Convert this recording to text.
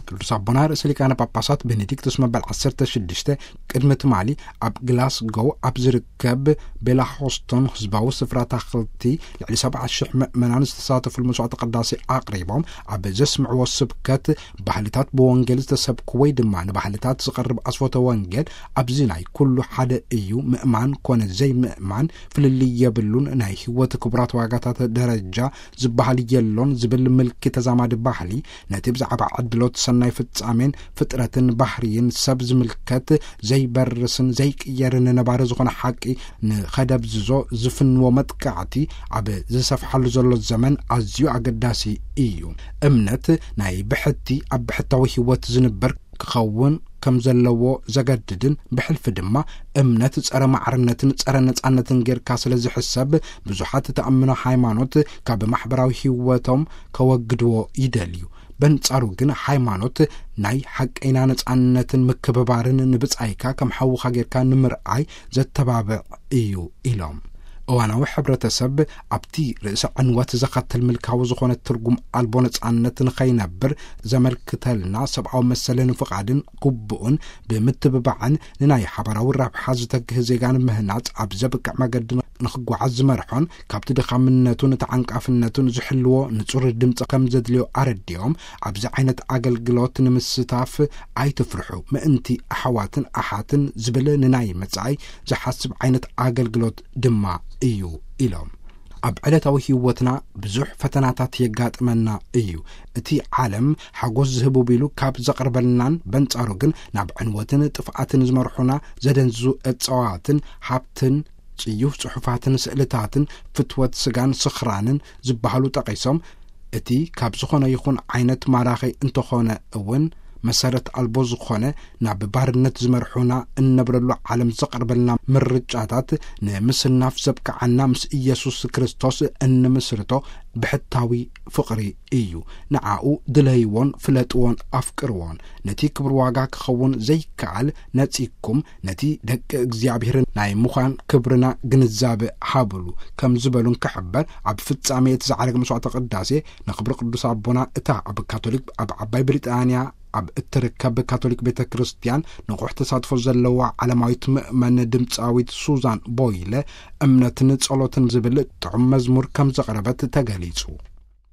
ቅዱስ ኣቦና ርእሰ ሊቃነ ጳጳሳት ቤኔዲክቱስ መበል ዓሰርተ ሽዱሽተ ቅድሚ ትማሊ ኣብ ግላስጎው ኣብ ዝርከብ ቤላሆስቶን ህዝባዊ ስፍራ ታኽልቲ ልዕሊ ሰብዓ ሽሕ ምእመናን ዝተሳተፉሉ መስዋዕተ ቅዳሴ ኣቕሪቦም፣ ኣብ ዘስምዕዎ ስብከት፣ ባህልታት ብወንጌል ዝተሰብኩ ወይ ድማ ንባህልታት ዝቐርብ ኣስፎተ ወንጌል ኣብዚ ናይ ኩሉ ሓደ እዩ፣ ምእማን ኮነ ዘይምእማን ፍልልይ የብሉን፣ ናይ ህይወት ክቡራት ዋጋታት ደረጃ ዝበሃል የሎን ዝብል ምልኪ ተዛማዲ ባህሊ፣ ነቲ ብዛዕባ ዕድሎት ሰናይ ፍጻሜን ፍጥረትን ባህርይን ሰብ ዝምልከት ዘይበርስን ዘይቅየርን ነባሪ ዝኾነ ሓቂ ንኸደብዝዞ ዝፍንዎ መጥቃዕቲ ኣብ ዝሰፍሓሉ ዘሎ ዘመን ኣዝዩ ኣገዳሲ እዩ። እምነት ናይ ብሕቲ ኣብ ብሕታዊ ህይወት ዝንበር ክኸውን ከም ዘለዎ ዘገድድን፣ ብሕልፊ ድማ እምነት ጸረ ማዕርነትን ጸረ ነጻነትን ጌርካ ስለ ዝሕሰብ፣ ብዙሓት ተኣምኖ ሃይማኖት ካብ ማሕበራዊ ህይወቶም ከወግድዎ ይደልዩ። በንጻሩ ግን ሃይማኖት ናይ ሓቀይና ነጻነትን ምክብባርን ንብጻይካ ከም ሓውኻ ጌርካ ንምርኣይ ዘተባብዕ እዩ ኢሎም። እዋናዊ ሕብረተሰብ ኣብቲ ርእሰ ዕንወት ዘኸትል ምልካዊ ዝኾነ ትርጉም ኣልቦ ነጻነት ንኸይነብር ዘመልክተልና ሰብኣዊ መሰልን ፍቓድን ግቡእን ብምትብባዕን ንናይ ሓባራዊ ረብሓ ዝተግህ ዜጋ ንምህናጽ ኣብ ዘብቅዕ መገዲ ንኽጓዓዝ ዝመርሖን ካብቲ ድኻምነቱን ተዓንቃፍነቱን ዝሕልዎ ንጹር ድምፂ ከም ዘድልዮ ኣረዲኦም፣ ኣብዚ ዓይነት ኣገልግሎት ንምስታፍ ኣይትፍርሑ፣ ምእንቲ ኣሕዋትን ኣሓትን ዝብል ንናይ መጻኢ ዝሓስብ ዓይነት ኣገልግሎት ድማ እዩ ኢሎም። ኣብ ዕለታዊ ህይወትና ብዙሕ ፈተናታት የጋጥመና እዩ። እቲ ዓለም ሓጎስ ዝህቡ ቢሉ ካብ ዘቕርበልናን በንጻሩ ግን ናብ ዕንወትን ጥፍኣትን ዝመርሑና ዘደንዝዙ እጸዋትን ሃብትን ጽዩፍ ጽሑፋትን ስእልታትን ፍትወት ስጋን ስኽራንን ዝበሃሉ ጠቒሶም፣ እቲ ካብ ዝኾነ ይኹን ዓይነት ማራኺ እንተኾነ እውን መሰረት ኣልቦ ዝኾነ ናብ ባርነት ዝመርሑና እነብረሉ ዓለም ዘቕርበልና ምርጫታት ንምስናፍ ዘብቅዓና ምስ ኢየሱስ ክርስቶስ እንምስርቶ ብሕታዊ ፍቕሪ እዩ። ንዓኡ ድለይዎን ፍለጥዎን ኣፍቅርዎን። ነቲ ክብር ዋጋ ክኸውን ዘይከኣል ነጺግኩም ነቲ ደቂ እግዚኣብሔር ናይ ምዃን ክብርና ግንዛበ ሃብሉ ከም ዝበሉን ክሕበር፣ ኣብ ፍጻሜ እቲ ዝዓረገ መስዋዕተ ቅዳሴ ንክብሪ ቅዱስ ኣቦና እታ ኣብ ካቶሊክ፣ ኣብ ዓባይ ብሪጣንያ ኣብ እትርከብ ካቶሊክ ቤተ ክርስቲያን ንቑሕ ተሳትፎ ዘለዋ ዓለማዊት ምእመን ድምፃዊት ሱዛን ቦይለ እምነትን ጸሎትን ዝብል ጥዑም መዝሙር ከም ዘቕረበት ተገሊጹ።